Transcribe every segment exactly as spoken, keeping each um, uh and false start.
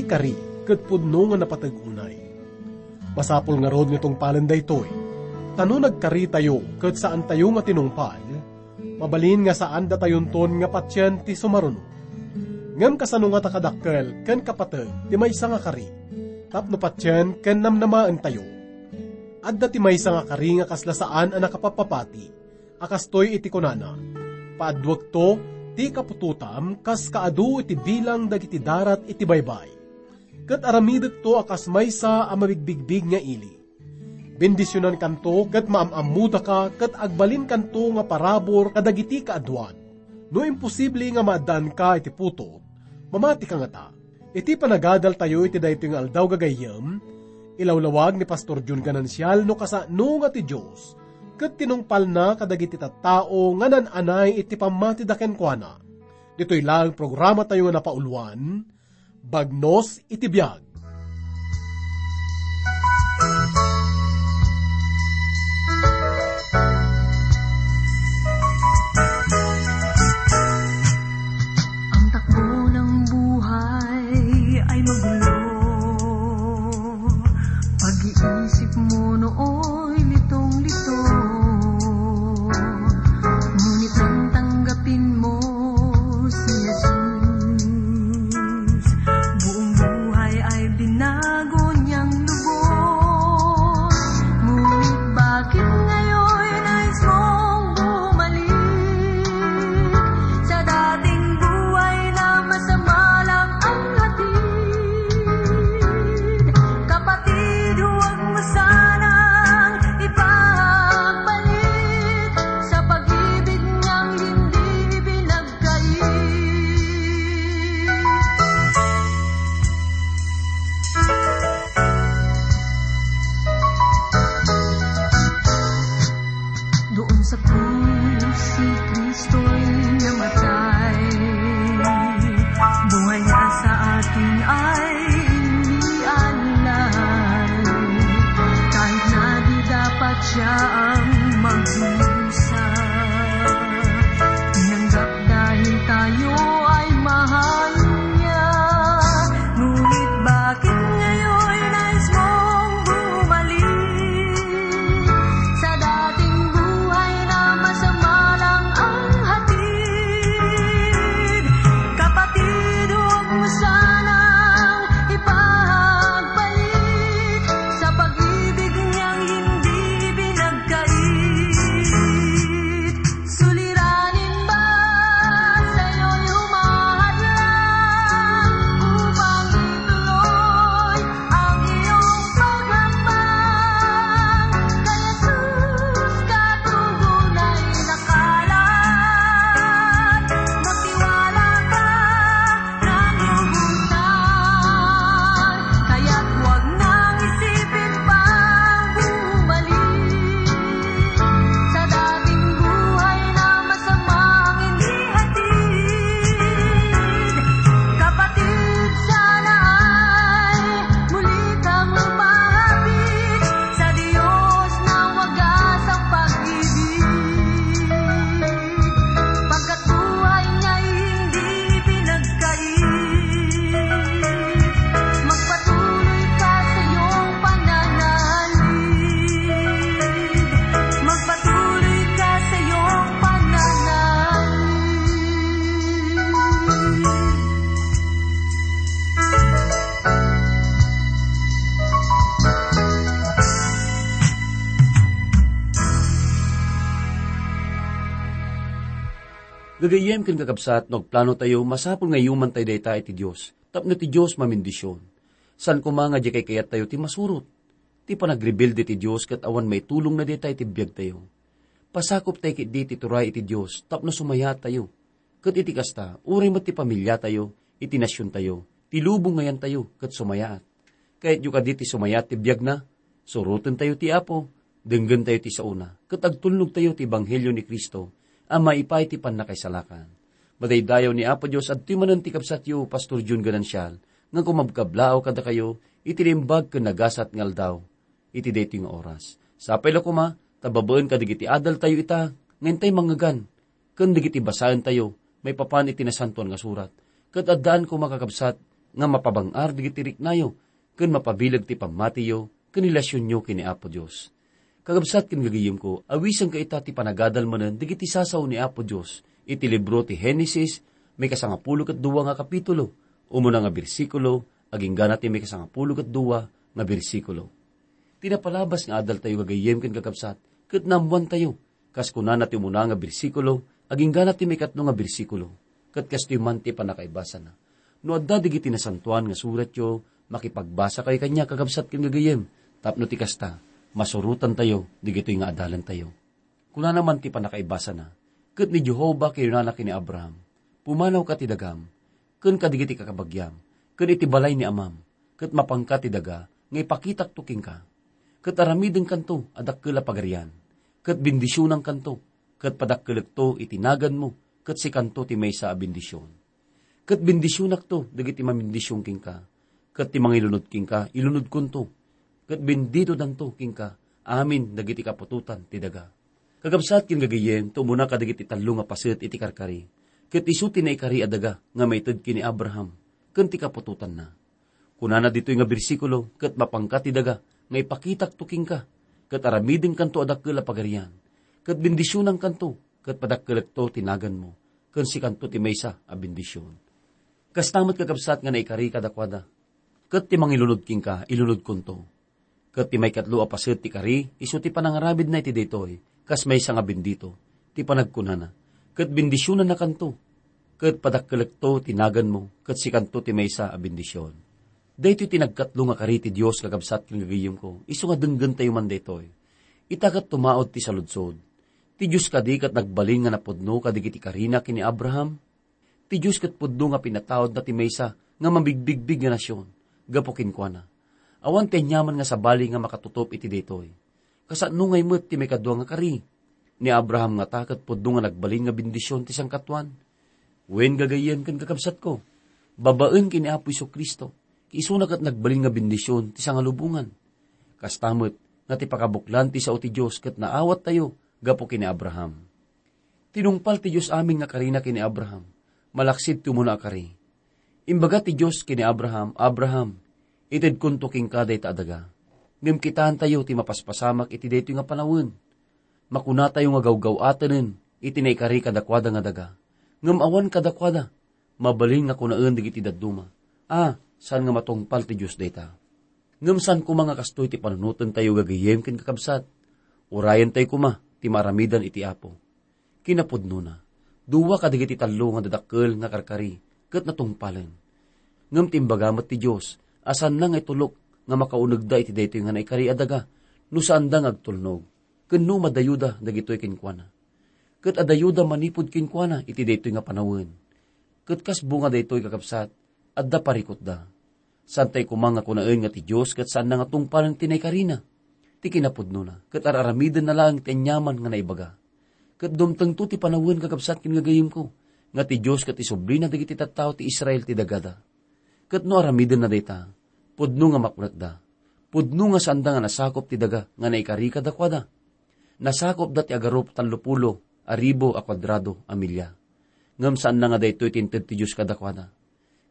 kari ket pudno nga napateg unay. Masapul ngarud nga tungpalen daytoy, ta no nagkaritayo ket saantayo nga tinungpal, mabalin nga saan datayonton nga patien ti sumaruno. Ngem kasano ngata kadakkel ken kapateg ti maysa nga kari tapno patien ken namnamaentayo? Adda ti maysa nga kari nga kasla saan a nakapappapati, a kastoy iti kunana, "Paadduekto ti kaputotam kas kaadu iti bilang dagiti darat iti baybay, ket aramidekto a kas maysa a mabigbigbig nga ili." Bendisionankanto ket maam-ammodaka ket agbalinkanto nga parabur kadagiti kaaduan. No imposible nga maaddaanka iti putot, mamatika ngata. Iti panagadaltayo iti daytoy nga aldaw gagayyem, ilawlawag ni Pastor Jun Ganancial no kasano nga ti Dios ket tinungpalna kadagiti tattao nga nan-anay iti pammatida kenkuana. Ditoy laeng programatayo nga napauluan, Bagnos iti Biag. Ang takbo ng buhay ay magulo. Pag-iisip mo nooy litong-lito. Ngunit nang tanggapin mo si Jesus, buong buhay ay binago niyang lubos. Ngunit bakit ngayon nais mong bumalik sa dating buhay na masama lang ang hatid? Kapatid, huwag mo sanang ipagbalik sa pag-ibig niyang hindi binagkait. Doon sa krus, si Kristo'y namatay. Buhay niya sa atin ay inialay. Kahit na di dapat siya ang magdusa, tinanggap dahil tayo ay mahal niya. Ngunit bakit ngayon nais mong bumalik sa dating buhay na masama lang ang hatid? Kapatid, huwag mo sanang ipagbalik sa pag-ibig niyang hindi binagkait. Suliranin ba sa'yo'y humahadlang upang ituloy ang iyong paghambang? Kay Jesus katugon ay nakalaan. Magtiwala ka ng lubusan, kaya't huwag nang isipin pang bumalik sa dating buhay na masamang inihatid. Kapatid, sana ay muli kang lumapit sa Diyos na wagas ang pag-ibig. Pagkat buhay niya'y hindi pinagkait. Magpatuloy ka sa iyong pananalig. Magpatuloy ka sa iyong pananalig. Gagayyem ken kakabsat, no agplano tayo, masapul nga iyuman tayo dayta iti Dios, tapno ti Dios mamendisyon. Saan koma nga di kaykayattayo ti masurot. Ti panagrebelde ti Dios ket awan maitulongna dayta iti biagtayo. Pasakop tayo ketdi ti turay iti Dios tapno sumayaat tayo. Ket iti kasta, uray met ti pamiliatayo, iti nasiontayo, ti lubong nga yantayo, ket sumayaat. Kayatyo kadi ti sumayaat ti biagna? Surotentayo ti Apo, denggentayo ti saona, ket agtulnogtayo ti ebanghelio ni Cristo a maipaay ti pannakaisalakan. Madaydayaw ni Apo Dios, adtoy manen ti kabsatyo, Pastor Jun Ganancial, nga kumabkablaaw kadakayo iti naimbag ken nagasat nga aldaw iti daytoy nga oras. Sapay la koma, ta babaen kadagiti adaltayo ita, nga intay mangngegan, ken dagiti basaentayo maipapan iti Nasantoan nga Surat. Ket addaan koma, kakabsat, nga mapabang-ar dagiti riknayo, ken mapabileg ti pammatiyo ken relasionyo ken ni Apo Dios. Kakabsat ken gagayemko, awisenka ita ti panagadal manen dagiti sasao ni Apo Dios iti libro ti Genesis, maikasangapulo ket dua nga kapitulo, umuna nga bersikulo, agingga na ti maikasangapulo ket dua nga bersikulo. Ti napalabas nga adaltayo gagayem ken kakabsat, ket naammoantayo, kas kunana ti umuna nga bersikulo, agingga na ti maikatlo nga bersikulo, ket kastoy man ti pannakaibasana. No adda dagiti nasantoan nga suratyo, makipagbasakayo kaniak, kakabsat ken gagayem, tapno ti kasta, masurotantayo dagitoy nga adalantayo. Kunana man ti pannakaibasana, ket ni Jehovah kinunana ken ni Abraham, "Pumanawka ti dagam, ken kadagiti kakabagiam, ken iti balay ni amam, ket mapanka ti daga nga ipakitakto kenka. Ket aramidenkanto a dakkel a pagarian, ket bendisionankanto, ket padakkelekto iti naganmo, ket sikanto ti maysa a bendision. Ket bendisionakto dagiti mabendision kenka, ket ti mangilunod kenka, ilunodkonto, ket benditodanto kenka amin dagiti kaputotan ti daga." Kakabsat ken gagayem, ti umuna kadagiti tallo nga paset iti karkari, ket isu ti naikari a daga nga maited ken ni Abraham ken ti kaputotanna. Kunana ditoy nga bersikulo, "Ket mapanka ti daga nga ipakitakto kenka, ket aramidenkanto a dakkel a pagarian, ket bendisionankanto, ket padakkelekto ti naganmo, ken sikanto ti maysa a bendision." Kasta met, kakabsat, nga naikari kadakuada, "Ket ti mangilunod kenka, ilunodkonto." Ket ti maikatlo a paset ti kari, isu ti panangaramidna iti daytoy, kas maysa nga bendito, ti panagkunana, "Ket bendisionannakanto, ket padakkelekto ti naganmo, ket sikanto ti maysa a bendision." Daytoy ti nagkatlo nga kari ti Dios, kakabsat ken gagayemko, isu nga denggentayo man daytoy. Ita ket tumaud ti saludsod. Ti Dios kadi ket nagbalin nga napudno kadagiti karina ken ni Abraham? Ti Dios ket pudno nga pinataudna ti maysa nga mamigbigbig nga nasion gapu kenkuana. Awan ti aniaman nga sabali nga makatutop iti daytoy. Kasano ngay met ti maikadua nga kari? Ni Abraham ngata ket pudno nga nagbalin nga bendision ti sangkatuan. Wen, gagayyem ken kakabsatko, babaen ken ni Apo Jesu-Cristo, isuna ket nagbalin nga bendision ti sangalubongan. Kasta met nga ti pakabuklan ti sao ti Dios ket naawattayo gapu ken ni Abraham. Tinungpal ti Dios amin nga karina ken ni Abraham, malaksid ti umuna a kari. Imbaga ti Dios ken ni Abraham, "Abraham, itedkonto kenka dayta a daga. Ngem kitaentayo ti mapaspasamak iti daytoy nga panawen. Makunatayo nga gawgaw-atenen iti naikari kadakuada nga daga. Ngem awan kadakuada, mabalin nga kunaen dagiti dadduma, 'A, saan nga matungpal ti Dios dayta.'" Ngem saan koma nga kastoy ti panunotentayo gagayyem ken kakabsat. Urayentayo koma ti maaramidan iti Apo. Kinapudnona, dua kadagiti tallo nga dadakkel nga karkari ket natungpalen. Ngem ti imbaga met ti Dios a saanna nga itulok nga makaunegda iti daytoy nga naikari a daga no saanda nga agtulnog, ken no madayoda dagitoy kenkuana. Ket adayoda manipud kenkuana iti daytoy nga panawen. Ket kas bunga daytoy, kakabsat, adda parikutda. Saantay koma nga kunaen nga ti Dios ket saanna nga tungpalen ti naikarina. Ti kinapudnona, ket ar-aramidenna laeng ti aniaman nga naibaga. Ket dumtengto ti panawen, kakabsat ken gagayemko, nga ti Dios ket isublina dagiti tattao ti Israel ti dagada. Ket no aramidenna dayta, pudno nga makunatda. Pudno nga saanda nga nasakop ti daga nga naikari kadakuada. Nasakopda ti agarup tallopulo a ribu a kuadrado a milya. Ngem saanna nga daytoy ti inted ti Dios kadakuada.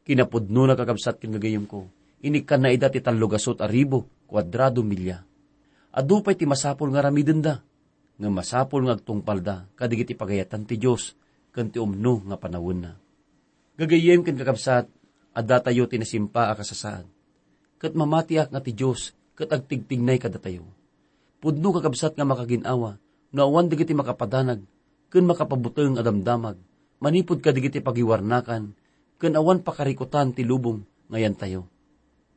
Kinapudnona, kakabsat ken gagayemko, inikkanna ida ti tallogasut a ribu kuadrado milya. Adu pay ti masapul nga aramidenda, ngem masapul nga agtungpalda kadagiti pagayatan ti Dios ken ti umno nga panawenna. Gagayyem ken kakabsat, addatayo ti nasimpa a kasasaad. Ket mamatiak nga ti Dios ket agtigtignay kadatayo. Pudno, kakabsat, nga makagin-awa no awan dagiti makapadanag ken makapabuteng a damdamag manipud kadagiti pagiwarnakan ken awan pakarikutan ti lubong nga yantayo.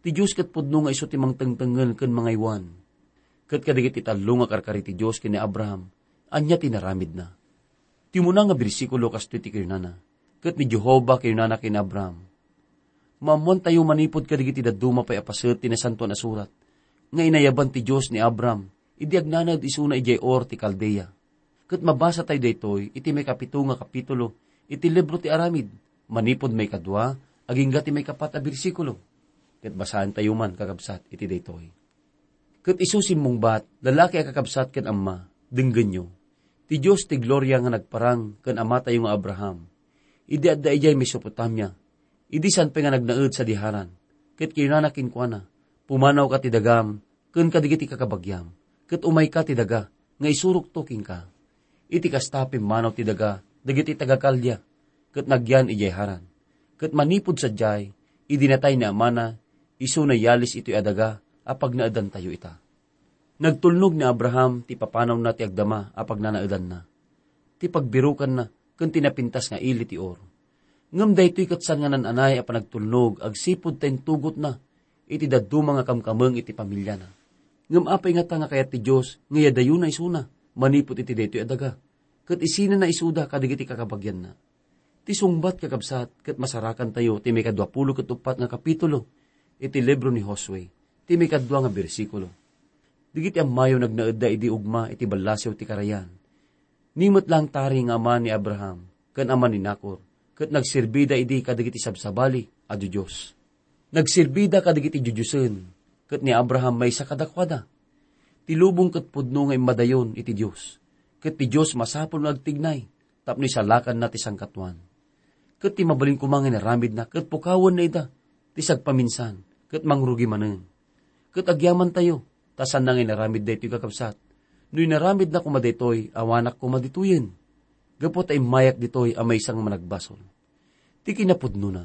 Ti Dios ket pudno nga isu ti mangtengtengen ken mangaywan. Ket kadagiti tallo nga karkari ti Dios ken ni Abraham, ania ti inaramidna? Ti umuna nga bersikulo kastoy ti kinunana, "Ket ni Jehovah kinunana ken ni Abraham." Maammoantayo manipud kadagiti dadduma pay a paset ti Nasantoan a Surat nga inayaban ti Dios ni Abraham idi agnanaed isuna idiay Ur ti Caldea. Ket mabasatayo daytoy iti maikapito nga kapitulo iti libro ti Aramid, manipud maikadua agingga ti maikapat a bersikulo. Ket basaentayo man, kakabsat, iti daytoy. Ket isu simmungbat, lalaki a kakabsat ken amma, denggenyo. Ti Dios ti gloria nga nagparang ken amatayo nga Abraham, idi adda idiay Mesopotamia, Idi saan pay nga nagnaed sadi Haran, ket kinunana kenkuana, "Pumanawka ti dagam ken kadagiti kakabagiam, ket umayka ti daga nga isurokto kenka." Iti kasta, pimmanaw ti daga dagiti taga-Kaldea ket nagyan idiay Haran. Ket manipud sadiay, idi natay ni amana, isuna yalis itoy a daga a pagnaedantayo ita. Nagtulnog ni Abraham ti papanawna ti agdama a pagnanaedanna, ti pagbirukanna, ken ti napintas nga ili ti Ur. Ngem daytoy ket saan nga naan-anay a panagtulnog agsipud ta intugotna iti dadduma nga kamkameng iti pamiliana. Ngem apay ngata nga kayat ti Dios nga iyadayona isuna manipud iti daytoy a daga, ket isinana isuda kadagiti kakabagianna? Ti sungbat, kakabsat, ket masarakantayo ti maikadua pulo ket uppat nga kapitulo iti libro ni Josue, ti maikadua nga bersikulo. Dagiti ammayo nagnaedda idi ugma iti ballasiw ti karayan. Ni met laeng tari nga ama ni Abraham ken ama ni Nacor, ket nagserbida idi kadagiti sabsabali a diodios. Nagserbida kadagiti diodiosen, ket ni Abraham maysa kadakuada. Ti lubong ket pudno nga immadayon iti Dios, ket ti Dios masapul nga agtignay tapno isalakanna ti sangkatuan. Ket ti mabalin koma nga inaramidna ket pukawenna ida ti sagpaminsan ket mangrugi manen. Ket agyamantayo, ta saanna nga inaramid daytoy, kakabsat. No inaramidna koma daytoy, awanak koma ditoyen, gapu ta immayak ditoy a maysa nga managbasol. Ti kinapudnona,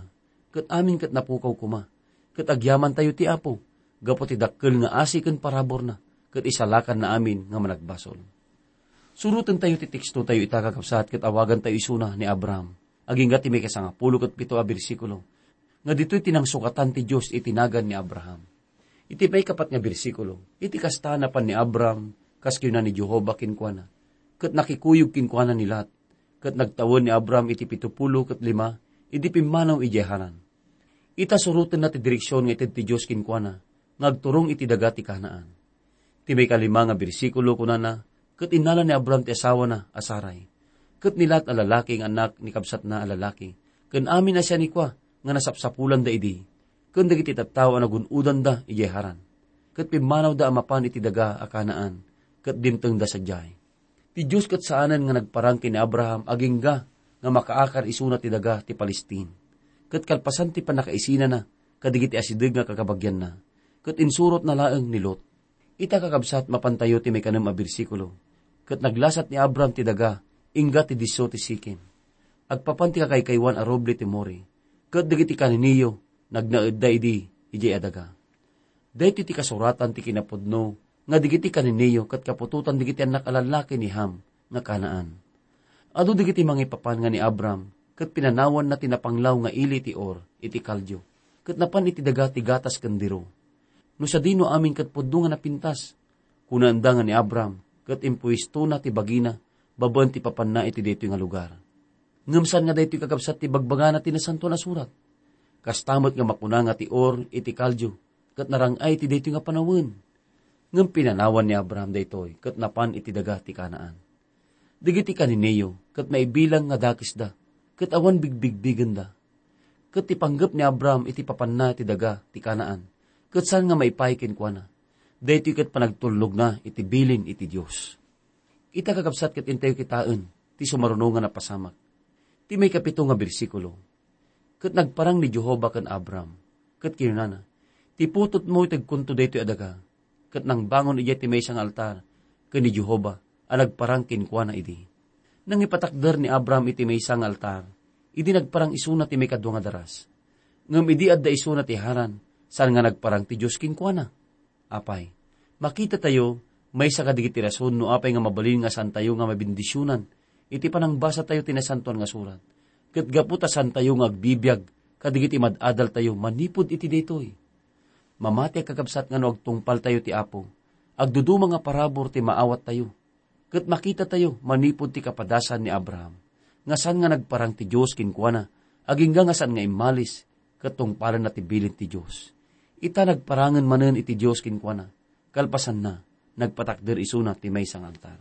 ket amin ket napukaw koma, ket agyamantayo ti Apo, gapu ti dakkel nga asi ken paraburna, ket isalakanna amin nga managbasol. Surotentayo ti tekstotayo ita, kakabsat, ket awagantayo isuna ni Abraham, agingga ti maikasangapulo ket pito a bersikulo, nga ditoy ti nangsukatan ti Dios iti nagan ni Abraham. Iti maikapat nga bersikulo, iti kasta, napan ni Abraham kas kinuna ni Jehovah kenkuana, ket nakikuyog kenkuana ni Lot. Ket nagtawen ni Abraham iti pito pulo ket lima idi pimmanaw idiay Haran. Ita, surotenna ti direksion nga ited ti Dios kenkuana nga agturong iti daga ti Canaan. Ti maikalima nga bersikulo, kunana, "Ket innala ni Abraham ti asawana a Sarai, ket ni Lot a lalaki nga annak ni kabsatna a lalaki, ken amin a sianikoa nga nasapsapulanda idi, ken dagiti tattao a nagun-odanda idiay Haran. Ket pimmanawda a mapan iti daga a Canaan, ket dimtengda sadiay." Ti Dios ket saanen nga nagparang ken ni Abraham agingga nga makaakar isuna ti daga ti Palestine. Ket kalpasan ti pannakaisinana kadagiti asideg nga kakabagianna, ket insurotna laeng ni Lot. Ita, kakabsat, mapantayo ti maikanem a bersikulo, "Ket naglasat ni Abraham ti daga ingga ti disso ti Sikem, agpapan ti kakaykaywan a roble ti More, ket dagiti kaniniyo nagnaedda idi idiay a daga." Daytoy ti kasuratan ti kinapudno nga dagiti kaniniyo ket kaputotan dagiti annak a lallaki ni Ham nga Canaan. Adu dagiti mangipapan nga ni Abram ket pinanawanna ti napanglaw nga ili ti Or iti Kaldio, ket napan iti daga ti gatas ken diro. No sadino amin ket pudno nga napintas, kunaenda nga ni Abram ket impuestona ti bagina babaen ti papanna iti daytoy nga lugar. Ngem saan nga daytoy, kakabsat, ti bagbagana ti Nasantoan a Surat. Kasta met nga makuna nga ti Or iti Kaldio ket narang-ay iti daytoy nga panawen. Ngem pinanawan ni Abraham daytoy ket napan iti daga ti Canaan. Dagiti kaniniyo ket maibilang nga dakesda ket awan bigbigbigenda. Ket ti panggep ni Abraham iti papanna ti daga ti Canaan ket saan nga maipaay kenkuana. Daytoy ket panagtulnogna iti bilin iti Dios. Ita, kakabsat, ket intayo kitaen ti sumaruno nga napasamak. Ti maikapito nga bersikulo, "Ket nagparang ni Jehovah ken Abram, ket kinunana, 'Ti putotmo itegkonto daytoy a daga.' Ket nangbangon idiay ti maysa nga altar ken ni Jehovah a nagparang kenkuana idi." Nangipatakder ni Abram iti maysa nga altar idi nagparang isuna ti maikadua nga daras. Ngem idi adda isuna ti Haran, saan nga nagparang ti Dios kenkuana. Apay, makitatayo, maysa kadagiti rason no apay nga mabalin nga saantayo nga mabendisionan iti panangbasatayo ti Nasantoan nga Surat, ket gapu ta saantayo nga agbibiag kadagiti mad-adaltayo manipud iti daytoy. Mamati a kakabsat nga no agtungpaltayo ti Apo, agduduma nga parabur ti maawattayo. Ket makitatayo manipud ti kapadasan ni Abraham, nga saan nga nagparang ti Dios kenkuana, agingga nga saan nga immalis ket tungpalenna ti bilin ti Dios. Ita, nagparangen manen iti Dios kenkuana, kalpasanna, nagpatakder isuna ti maysa nga altar.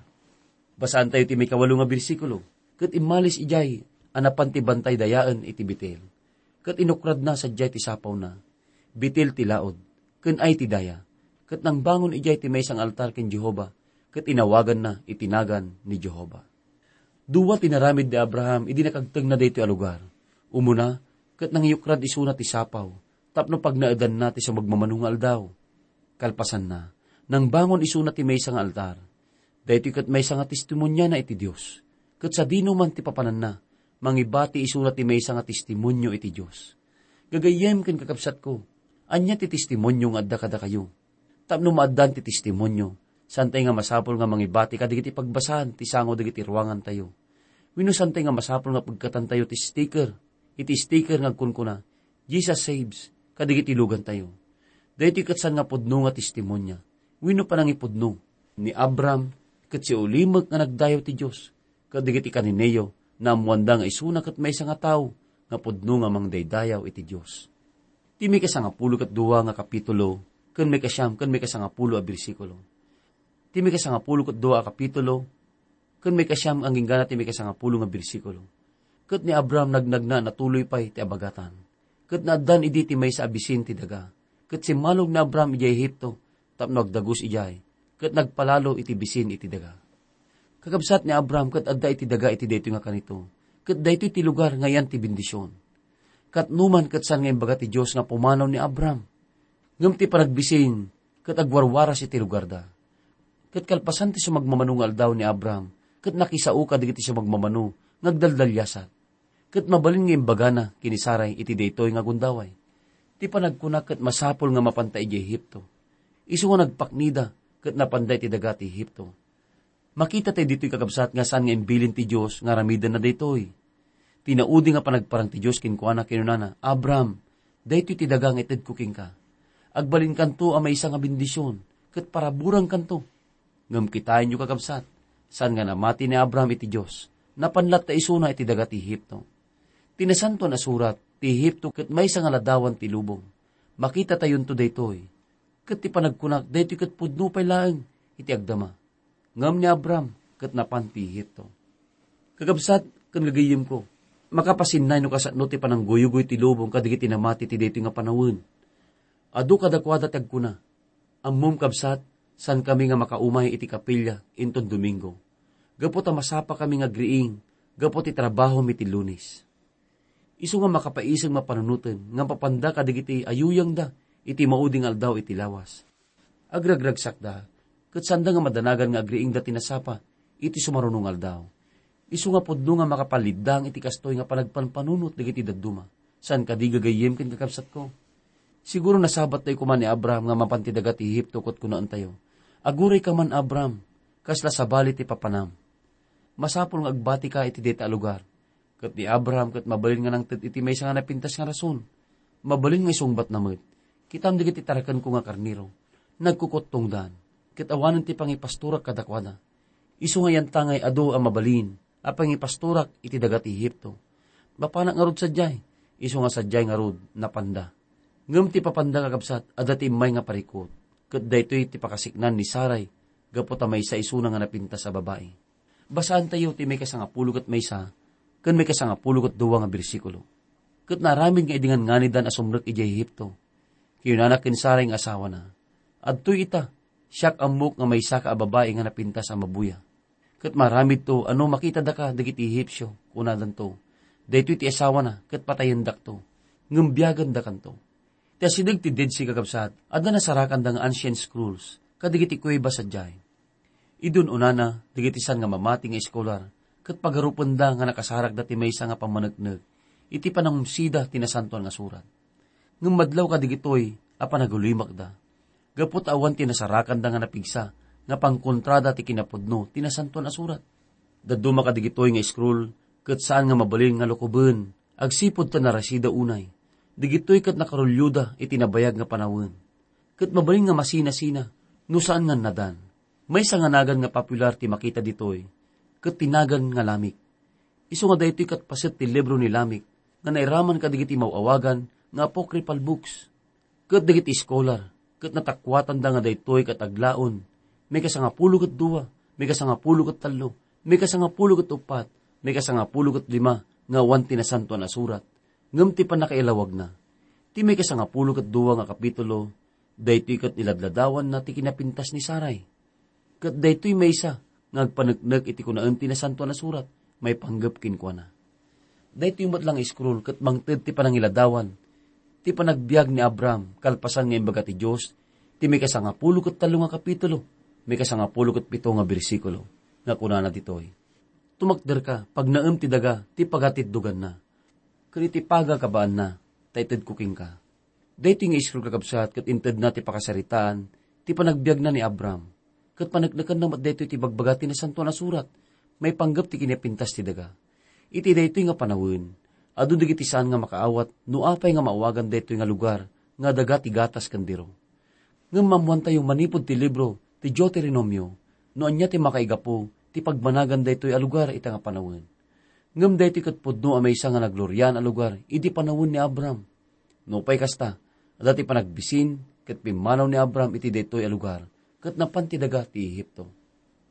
Basaantayo ti maikawalo nga bersikulo, "Ket immalis idiay a napan ti bantay dayaen iti Betel, ket inukradna sadiay ti sapawna, Betel ti laud, ken Ai ti daya. Ket nangbangon idiay ti maysa nga altar ken Jehovah, ket inawaganna iti nagan ni Jehovah." Dua ti naramid ni Abraham idi nakagtengna daytoy a lugar. Umuna, ket nangyukrad isuna ti sapaw tapno pagnaedanna ti sumagmamano nga aldaw. Kalpasanna, nangbangon isuna ti maysa nga altar. Daytoy ket maysa nga testimoniana iti Dios, ket sadino man ti papananna, mangibati isuna ti maysa nga testimonio iti Dios. Gagayyem ken kakabsatko, ania ti testimonio nga adda kadakayo? Tapno maaddaan ti testimonio, saantay nga masapul nga mangibati kadagiti pagbasaan ti sango dagiti ruangantayo. Wenno saantay nga masapul nga pegkatantayo ti sticker, iti sticker nga agkunkuna, "Jesus saves," kadagiti lugantayo. Daytoy ket saan nga pudno nga testimonia, wenno panangipudno ni Abraham ket siulimek nga nagdayaw ti Dios, ket dagiti kanineyo, naammoanda nga isuna ket maysa nga tao nga pudno nga mangdaydayaw iti Dios. Ti maikasangapulo ket dua nga kapitulo, ken maikasiam ken maikasangapulo a bersikulo. Ti maikasangapulo ket dua a kapitulo, ken maikasiam agingga ti maikasangapulo nga bersikulo. Ket ni Abraham nagnagna a natuloy pay ti abagatan. Ket naaddan idi ti maysa a bisin ti daga. Ket simmalog ni Abraham idiay Egipto tapno agdagus idiay, ket nagpalalo iti bisin iti daga. Kakabsat ni Abraham ket adda iti daga iti daytoy nga kanito, ket daytoy ti lugar nga ayan ti bendision. Ket numan ket saan nga imbaga ti Dios nga pumanaw ni Abraham. Ngem ti panagbisin ket agwarwaras iti lugarda. Ket kalpasan ti sumagmamano nga aldaw ni Abraham, ket nakisao kadagiti sumagmamano nga agdaldaliasat. Ket mabalin nga imbagana ken ni Sarai iti daytoy nga gundaway. Ti panagkuna ket masapul nga mapanta idiay Egipto. Isu nga nagpaknida ket napanda iti daga ti Egipto. Makita tayo ditoy, kakabsat, nga saan nga imbilin ti Dios nga aramidenna daytoy. Ti naudi nga panagparang ti Dios kenkuana, kinunana, "Abraham, daytoy ti daga nga itedko kenka. Agbalinkanto a maysa nga bendision, ket paraburangkanto." Ngem kitaenyo, kakabsat, saan nga namati ni Abraham iti Dios. Napan latta isuna iti daga ti Egipto. Ti Nasantoan a Surat, ti Egipto ket maysa nga ladawan ti lubong. Makita tayonto daytoy. Ket ti panagkunak, daytoy ket pudno pay laeng iti agdama. Ngem ni Abraham ket napan ti Egipto. Kakabsat ken gagayyemko, makapasinnay no kasano ti panangguyugoy ti lubong kadagiti namati ti daytoy nga panawen. Adu kadakuada ti agkuna, "Ammom, kabsat, saankami nga makaumay iti kapilya inton Domingo, gapu ta masapakami nga agriing gapu ti trabahom iti Lunes." Isu nga makapaisag mapanunoten nga mapanda kadagiti ayuyangda iti maudi nga aldaw iti lawas. Agragragsakda, ket saanda nga madanagan nga agriingda ti nasapa iti sumaruno nga aldaw. Isu nga pudno nga makapalliddang iti kastoy nga panagpanpanunot dagiti dadduma. Saan kadi, gagayyem ken kakabsatko? Siguro nasabat tayo koma ni Abraham nga mapan ti daga ti Egipto ket kunaentayo, "Aguray ka man, Abraham, kasla sabali ti papanam. Masapul nga agbatika iti dayta a lugar." Ket ni Abraham ket mabalin nga nangted iti maysa nga napintas nga rason. Mabalin nga isungbatna met, "Kitam dagiti tarakenko nga karnero. Nagkukuttongdan, ket awanen ti pangipastorak kadakuada." Isu nga yantangay adu a mabalin a pangipastorak iti daga ti Egipto. Mapanak ngarud sadiay, isu nga sadiay ngarud napanda. Ngem ti papanda, kakabsat, adda ti immay nga parikut, ket daytoy ti pakasiknan ni Sarai gapu ta maysa isuna nga napintas a babai. Basaantayo ti maikasangapulo ket maysa ken maikasangapulo ket dua nga bersikulo. Ket naaramid nga idi ngan-nganidan a sumrek idiay Egipto, kinunana ken Sarai nga asawana, "Adtoy ita, siak ammok nga maysaka a babai nga napintas a mabuya. Ket maaramidto a no makitadaka dagiti Egipsio, kunadanto, 'Daytoy ti asawana, ket patayendakto, ngem biagendakanto.'" Ti asideg ti Dead Sea, kakabsat, adda nasarakanda nga ancient scrolls kadagiti kuweba sadiay. Idi un-unana, dagiti saan nga mamati nga eskolar ket pagarupenda nga nakasarakda ti maysa nga pammaneknek iti panangumsida ti Nasantoan nga Surat. Ngem madlaw kadagitoy a panagullimakda, gapu ta awan ti nasarakanda nga napigsa nga pangkontrada ti kinapudno ti Nasantoan a Surat. Dadduma kadagitoy nga scroll ket saan nga mabalin nga lukoben agsipud ta narasida unay. Dagitoy ket nakarulioda iti nabayag nga panawen. Ket mabalin nga masinasina no saan nga nadan. Maysa nga nagan nga popular ti makita ditoy, ket ti nagan nga Lamik. Isu nga daytoy ket paset ti libro ni Lamik nga nairaman kadagiti maw-awagan nga apocryphal books. Ket dagiti eskolar ket natakuatanda nga daytoy ket aglaon, maikasangapulo ket dua, maikasangapulo ket tallo, maikasangapulo ket uppat, maikasangapulo ket lima nga awan ti Nasantoan a Surat, ngem ti pannakailawagna. Ti maikasangapulo ket dua nga kapitulo, daytoy ket niladladawanna ti kinapintas ni Sarai. Ket daytoy maysa nga agpaneknek iti kunaen ti Nasantoan a Surat maipanggep kenkuana. Daytoy met la nga scroll ket mangted ti panangiladawan ti panagbiag ni Abraham, kalpasan nga imbaga ti Dios, ti maikasangapulo ket tallo nga kapitulo, maikasangapulo ket pito nga bersikulo, nga kunana ditoy, "Tumakderka, pagnaem ti daga, ti pagatitdoganna, ken iti pagakabaanna, ta itedko kenka." Daytoy nga scroll, kakabsat, ket intedna ti pakasaritaan ti panagbiagna ni Abraham, ket paneknekanna met daytoy ti ibagbaga ti Nasantoan a Surat maipanggep ti kinapintas ti daga. Iti daytoy nga panawen, adu dagiti saan nga makaawat no apay nga maawagan daytoy nga lugar nga daga ti gatas ken diro. Ngem maammoantayo manipud ti libro ti Deuteronomio no ania ti makaigapu ti pagbanagan daytoy a lugar ita nga panawen. Ngem daytoy ket pudno a maysa nga nagloriaan a lugar idi panawen ni Abraham. Nupay kasta, adda ti panagbisin ket pimmanaw ni Abraham iti daytoy a lugar ket napan ti daga ti Ehipto.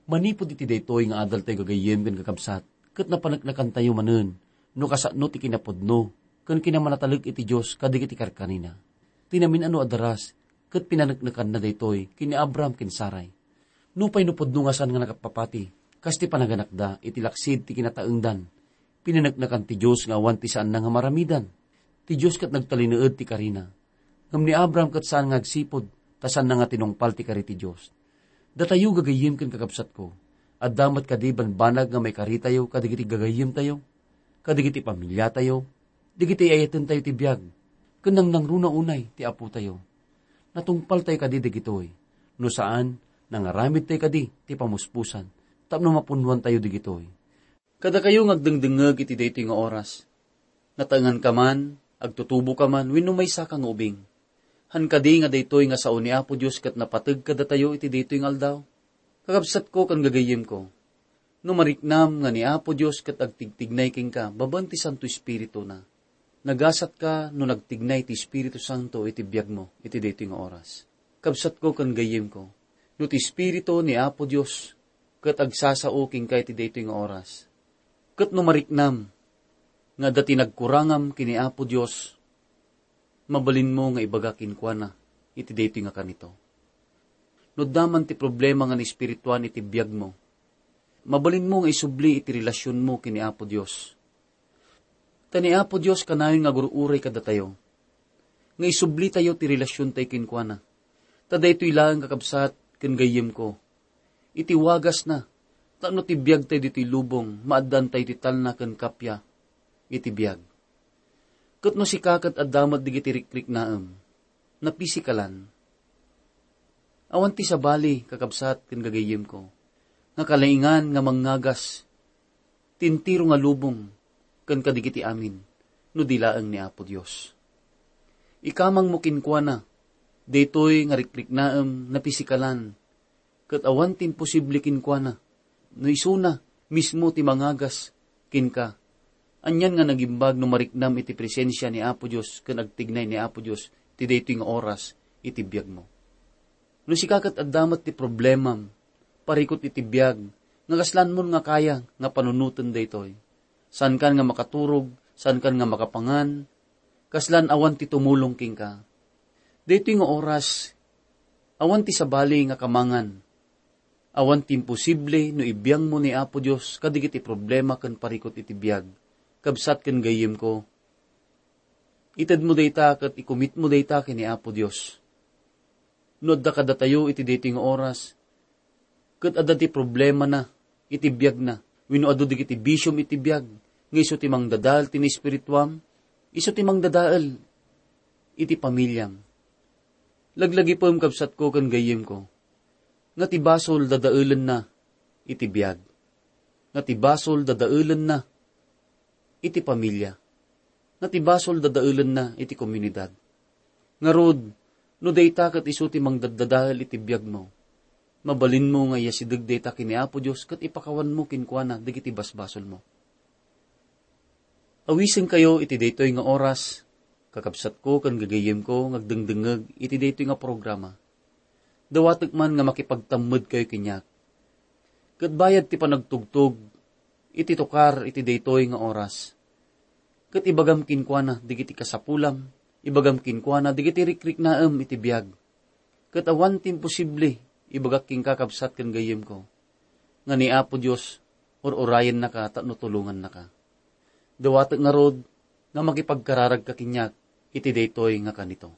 Manipud iti daytoy nga adaltayo gagayyem ken kakabsat, ket napaneknekantayo manen no kasano ti kinapudno ken kinamanatalek iti Dios kadagiti karkarina. Ti namin-ano a daras ket pinaneknekanna daytoy ken ni Abraham ken Sarai. Nupay no pudno nga saan nga nakapapati, kas ti panaganakda iti laksid ti kinataengdan, pinaneknekan ti Dios nga awan ti saanna nga maramidan. Ti Dios ket nagtalinaed ti karina. Ngem ni Abraham ket saan nga agsipud, ta saanna nga tinungpal ti kari ti Dios. Datayo gagayyem ken kakabsatko, adda met kadi banbanag nga maikaritayo kadagiti gagayyemtayo, kadagiti pamiliatayo, dagiti ayatentayo ti biag, ken nangnangruna unay ti Apotayo. Natungpaltayo kadi dagitoy? No saan, nangaramidtayo kadi ti pamuspusan tapno mapunnoantayo dagitoy? Kadakayo nga agdengdengngeg iti daytoy nga oras, nataenganka man, agtutuboka man, wenno maysaka nga ubing, han kadi nga daytoy nga sao ni Apo Dios ket napateg kadatayo iti daytoy nga aldaw? Kakabsatko ken gagayyemko, no mariknam nga ni Apo Dios ket agtigtignay kenka babaen ti Santo Espirituna, nagasatka no nagtignay ti Espiritu Santo iti biagmo iti daytoy nga oras. Kabsatko ken gayyemko, no ti Espiritu ni Apo Dios ket agsasao kenka iti daytoy nga oras, ket no mariknam nga adda ti nagkurangam ken ni Apo Dios, mabalinmo nga ibaga kenkuana iti daytoy nga kanito. No adda man ti problema nga naespirituan iti biagmo, mabalinmo nga isubli iti relasionmo ken ni Apo Dios. Ta ni Apo Dios kanayon nga agur-uray kadatayo, nga isublitayo ti relasiontayo kenkuana. Ta daytoy laeng, kakabsat ken gayyemko, iti wagasna, tapno ti biagtayo ditoy lubong, maaddaantayo ti talna ken kappia iti biag. Ket no sika ket adda met dagiti rikriknaem, napisikalan, awan ti sabali, kakabsat ken gagayyemko, nga kalaingan nga mangngagas ti entero nga lubong ken kadagiti amin no di laeng ni Apo Dios. Ikamangmo kenkuana daytoy nga rikriknaem napisikalan, ket awan ti imposible kenkuana no isuna mismo ti mangagas kenka. Anian nga nagimbag no mariknam iti presensia ni Apo Dios ken agtignay ni Apo Dios ti daytoy nga oras iti biagmo. No sika ket adda met ti problemam, parikut iti biag, nga kaslanmon nga kaya nga panunoten daytoy. Saankan nga makaturog, saankan nga makapangan, kaslan awan ti tumulong kenka. Daytoy nga oras, awan ti sabali nga kamangan. Awan ti imposible no ibiangmo ni Apo Dios kadagiti problema ken parikut iti biag. Kabsat ken gayyemko, itedmo dayta ket ikumitmo dayta ken ni Apo Dios. No adda kadatayo iti daytoy nga oras, ket adda ti problemana iti biagna, wenno adu dagiti bisiom iti biag, nga isu ti mangdadael ti naespirituam, isu ti mangdadael iti pamiliam. Laglagipem, kabsatko ken gayyemko, nga ti basol dadaelenna iti biag, nga ti basol dadaelenna iti pamilia, nga ti basol dadaelenna iti komunidad. Ngarud, no dayta ket isu ti mangdaddadael iti biagmo, mabalinmo nga iyasideg dayta ken ni Apo Dios ket ipakawanmo kenkuana dagiti basbasolmo. Awisenkayo iti daytoy nga oras, kakabsatko ken gagayyemko nga agdengdengngeg iti daytoy nga programa. Dawatek man nga makipagtammedkayo kaniak. Ket bayad ti panagtugtog iti tukar iti daytoy nga oras, ket ibagam kenkuana dagiti kasapulam, ibagam kenkuana dagiti rikriknaem iti biag. Ket awan ti imposible, ibagak kenka, kabsat ken gayyemko, nga ni Apo Dios ur-urayennaka tapno tulongannaka. Dawatek ngarud nga makipagkararagka kaniak iti daytoy nga kanito.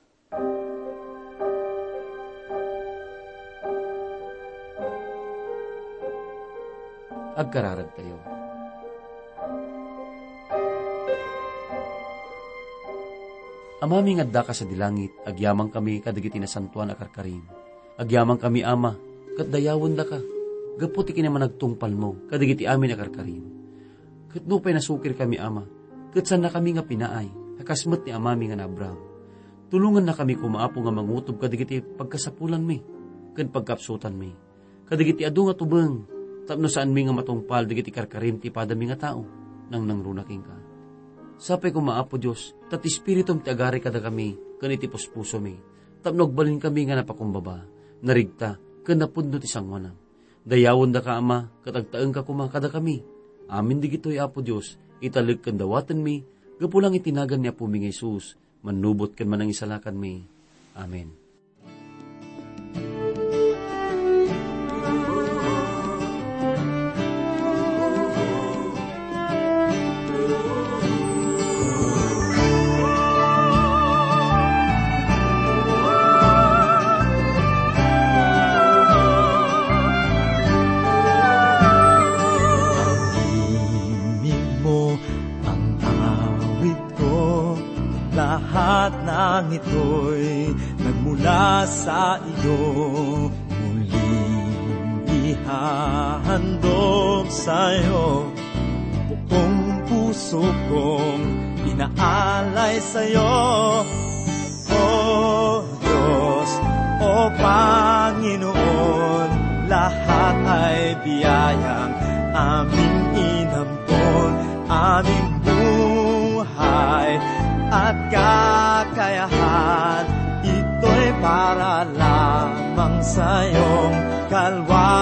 Agkararagtayo. Amami nga addaka sadi langit, agyamankami kadagiti nasantoan a karkarim. Agyamankami, Ama, ket dayawendaka gapu ti kinamanagtungpalmo kadagiti amin a karkarim. Ket nupay nasukirkami, Ama, ket saannakami nga pinaay a kas met ni amami nga ni Abraham, tulongannakami koma, Apo, nga mangutob kadagiti pagkasapulanmi ken pagkapsutanmi, kadagiti adu nga tubeng, tapno saanmi nga matungpal dagiti karkarim ti padami nga tao, nangnangruna kenka. Sapay koma, Apo Dios, ta ti Espiritum ti agari kadakami ken iti puspusomi, tapno agbalinkami nga napakumbaba, narigta, ken napudno ti sangoanam. Dayawendaka, Ama, ket agtaengka koma kadakami. Amin dagitoy, Apo Dios, italek ken dawatenmi, gapu lang iti nagan ni Apomi nga Jesus, mannubot ken manangisalakanmi. Amen. Imigmo ang awit ko, lahat ng ito'y nagmula sa iyo. Muling ihahandog sa'yo, buong puso kong inaalay sa'yo. O Diyos, o Panginoon, lahat ay biyayang aming inampon, aming buhay at kakayahan. Ito'y para lamang sa'yong kalwa.